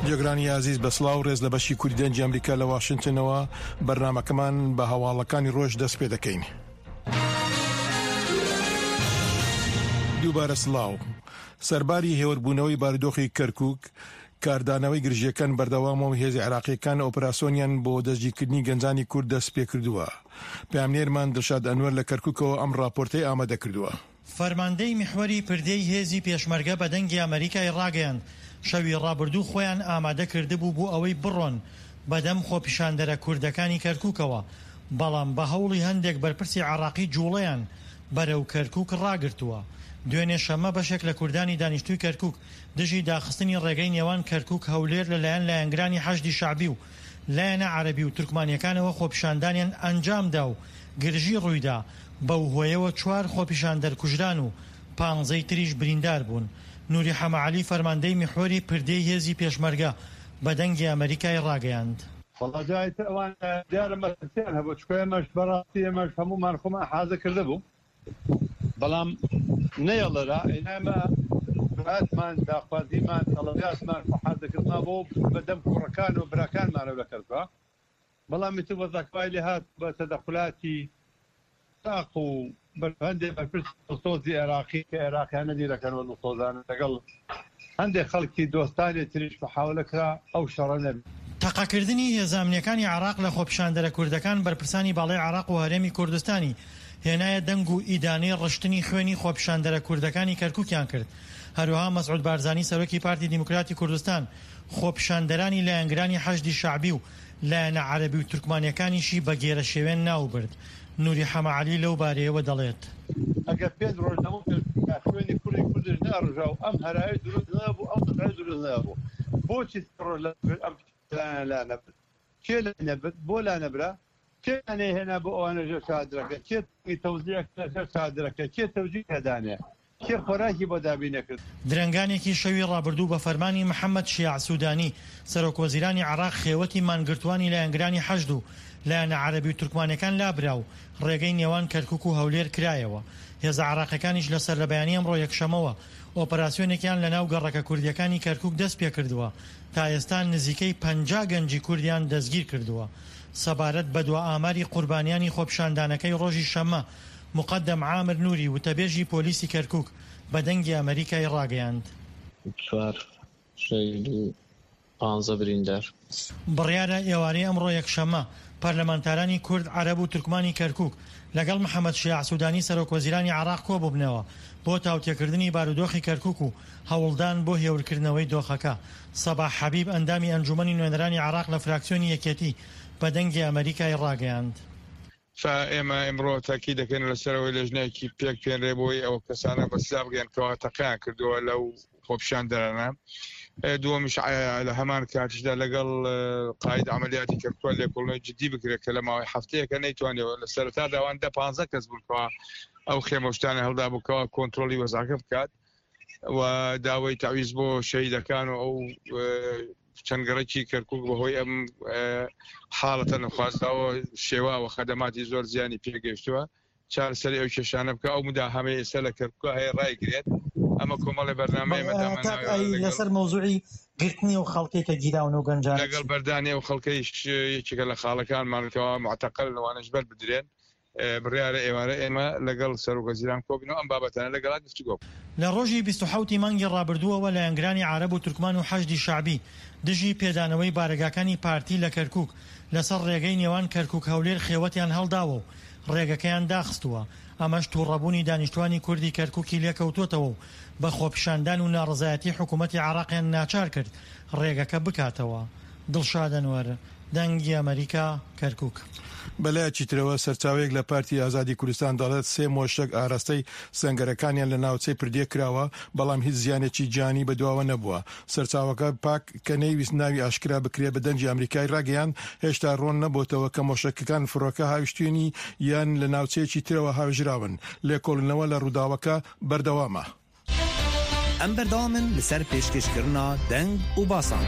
جێگرانی ئازیز بە سڵاو ڕێز لە بەشی کوردی دەنگی ئەمریکا لە واشنتنەوە بەرنامەکەمان بە هەواڵەکانی ڕۆژ دەست پێ دەکەین. دووبارە سڵاو. سەرباری هێوربوونەوەی بارودۆخی کەرکوک، کاردانەوەی گرژییەکان بەردەوامە و هێزە عێراقییەکان ئۆپراسۆنیان بۆ دەستگیرکردنی گەنجانی کورد دەستپێکردووە. پەیامنێرمان دڵشاد ئەنوەر لە کەرکوکەوە ئەم ڕاپۆرتەی ئامادەکردووە. فەرماندەی میحوەری پردێی هێزی پێشمەرگە بە دەنگی ئەمەریکای ڕاگەیاند، شەوی ڕابردوو خۆیان ئامادە کردبوو بۆ ئەوەی بڕۆن بەدەم خۆپیشاندەرە کوردەکانی کەرکوکەوە، بەڵام بە هەوڵی هەندێک بەرپرسی عێراقی جوڵەیان بەرەو کەرکوک ڕاگرتووە. دوێنێ شەممە بەشێک لە کوردانی دانیشتووی کەرکوک دژی داخستنی ڕێگەی نێوان کەرکوک هەولێر لەلایەن لایەنگرانی حەشدی شەعبی و لایەنە عەرەبی و تورکمانیەکانەوە خۆپیشاندانیان ئەنجامدا و گرژی ڕوویدا، بەو هۆیەوە چوار خۆپیشاندەر کوژران و پانزەی تریش بریندار بوون. نوری حەمەعەلی فەرماندەی میحوەری پردێی هێزی پێشمەرگە بە دەنگی ئەمەریکای ڕاگەیاند. وەڵا جا ئیتر ئەوان دیارە مەترسیان هەبوو چونکە ئێمەش بەڕاستی ئێمەش هەموومان خۆمان حازر کردبوو بەڵام نەیەڵرا ئینا ئێمە براتمان داخوازیمان تەڵەباتمان خۆ حازرکردمان بۆ بەدەم کوڕەکان و براکانمانەوە لە کەرکوک بەڵام ئیتر وەزعەکە وای لێهات بە تەدەخولاتی عێراق و هەندێک بەرپرسی دڵسۆزی عێراقی کە عێراقیانە دیرەکەنەوە دڵسۆزانە لەگەڵ هەندێک خەڵکی دۆستانی تریش محاولە کرا ئەو شەڕە نەبێت. تەقەکردنی هێزە ئەمنییەکانی عێراق لە خۆپیشاندەرە کوردەکان بەرپرسانی باڵای عێراق و هەرێمی کوردستانی هێنایە دەنگ و ئیدانەی ڕشتنی خوێنی خۆپیشاندەرە کوردەکانی کەرکوکیان کرد. هەروەها مەسعود بارزانی سەرۆکی پارتی دیموکراتی کوردستان خۆپیشاندەرانی لایەنگرانی حەشدی شەعبی و لایەنە عەرەبی و تورکمانیەکانیشی بە گێرەشێوێن ناوبرد. نوری حەمە عەلی لەو بارەیەوە دەڵێت. ئەگەر پێنج ڕۆژ لەمەو پێش بووایە خوێنی کوڕی کوردش نەئەڕژا و ئەم هەرایەش دروست نەبوو، ئەم وەزعەش دروست نەبوو. بۆچی سێ ڕۆژ لەمەو پێش ئەم پلانە لانەبرد؟ کێ لای نەبرد؟ بۆ لانەبرا؟ کێ نەیهێنا بۆ ئەوانە ژێر چادرەکە؟ کێ تەوزیع کرا سەر چادرەکە؟ کێ تەوجیه دانێ؟ کێ خۆراکی بۆ دابین نەکرد؟ درەنگانێکی شەوی ڕابردوو بە فەرمانی محەمەد شیاع سودانی، سەرۆکوەزیرانی عێراق خێوەتی مانگرتووانی لایەنگرانی حەشد و لایەنە عەرەبی و تورکمانەکان لابرا و ڕێگەی نێوان کەرکوک و هەولێر کرایەوە. هێزە عێراقیەکانیش لە سەرلەبەیانی ئەمڕۆ یەکشەمەوە ئۆپەراسیۆنێکیان لەناو گەڕەکە کوردیەکانی کەرکوک دەستپێکردووە، تا ئێستا نزیکەی 50 گەنجی کوردیان دەستگیرکردووە. سەبارەت بە دوا ئاماری قوربانیانی خۆپیشاندانەکەی ڕۆژی شەممە، موقەدەم عامر نوری وتەبێژی پۆلیسی کەرکوک بە دەنگی ئەمەریکای ڕاگەیاند. چوار شەهید و پانزە بریندار. بڕیارە ئێوارەی ئەمڕۆ یەکشەممە، پەرلەمانتارانی کورد، عەرەب و تورکمانی کەرکوک لەگەڵ محەمەد شیاع سودانی سەرۆکوەزیرانی عێراق کۆببنەوە بۆ تاوتێکردنی بارودۆخی کەرکوک و هەوڵدان بۆ هێورکردنەوەی دۆخەکە. سەباح حەبیب ئەندامی ئەنجومەنی نوێنەرانی عێراق لە فراکسیۆنی یەکێتی بە دەنگی ئەمەریکای ڕاگەیاند. فا ئێمە ئیمڕۆ تەئکید دەکەین لەسەر ئەوەی لێژنەیەکی پێک بێنرێ بۆی ئەو کەسانە بە سزا بگەن کەوا تەقەیان کردووە لەو خۆپیشاندەرانە. دووەمیش لە هەمان کاتیشدا لەگەڵ قاید عملیاتی کەرکوک لێکۆڵینەوەی جدی بکرێت کە لە ماوەی هەفتەیەکە نەیتوانیەوە لە سەرەتادا ئەوان دە پانزە کەس بوون کەوا ئەو خێمە و شتانە هەڵدا بوو کەوا کۆنترۆڵی وەزعەکە بکات و داوای تەعویز بۆ شەهیدەکان و ئەو چەند گەڕەکی کەرکک بەهۆی ئەم حاڵەتە نەخوازراوە شێواوە خەدەماتی زۆر زیانی پێگەیشتووە چارەسەری ئەو کێشانە بکە ئەو مداهەمەی ئێستا لە کەرکک هەیە ڕایگرێت ئەمە کۆمەڵی بەرنامەی لەسەر مەوزوعی گرتنی و خەڵکی کە گیراون و گەنجان لەگەڵ بەردانی ئەو خەڵکەیش یەکێکە لە خاڵەکانمان کەوا معتەقل لەوانەش بەر بدرێن بڕیارە ئێوارە ئێمە لەگەڵ سەرۆک وەزیران کۆبینەوە ئەم بابەتانە لەگەڵا گفتوگۆ بکەین. لە ڕۆژی 27 ی مانگی ڕابردووەوە لایەنگرانی عارەب و تورکمان و حەشدی شەعبی دژی پێدانەوەی بارەگاکانی پارتی لە کەرکوک لەسەر ڕێگەی نێوان کەرکوک-هەولێر خێوەتیان هەڵداوە و ڕێگەکەیان داخستووە، ئەمەش توڕەبوونی دانیشتوانی کوردی کەرکوکی لێکەوتۆتەوە و بە خۆپیشاندان و ناڕەزایەتی حکومەتی عێراقیان ناچار کرد ڕێگەکە بکاتەوە. دڵشاد ئەنوەر، دەنگی ئەمەریکا، کەرکوک. بەلایەکی ترەوە سەرچاوەیەک لە پارتی ئازادی کوردستان دەڵێت سێ مۆشەک ئاراستەی سەنگەرەکانیان لە ناوچەی پردێ کراوە، بەڵام هیچ زیانێکی گیانی بەدواوە نەبووە. سەرچاوەکە پاک کە نەیویست ناوی ئاشکرا بکرێت بە دەنگی ئەمریکای راگەیاند، هێشتا رۆن نەبۆتەوە کە مۆشەکەکان فڕۆکە هاویشتوینی یان لە ناوچەیەکی ترەوە هاوێژراون. لێکۆڵینەوە لە رووداوەکە بەردەوامە. Em berdewam in li ser pêşkêşkirina deng û basan.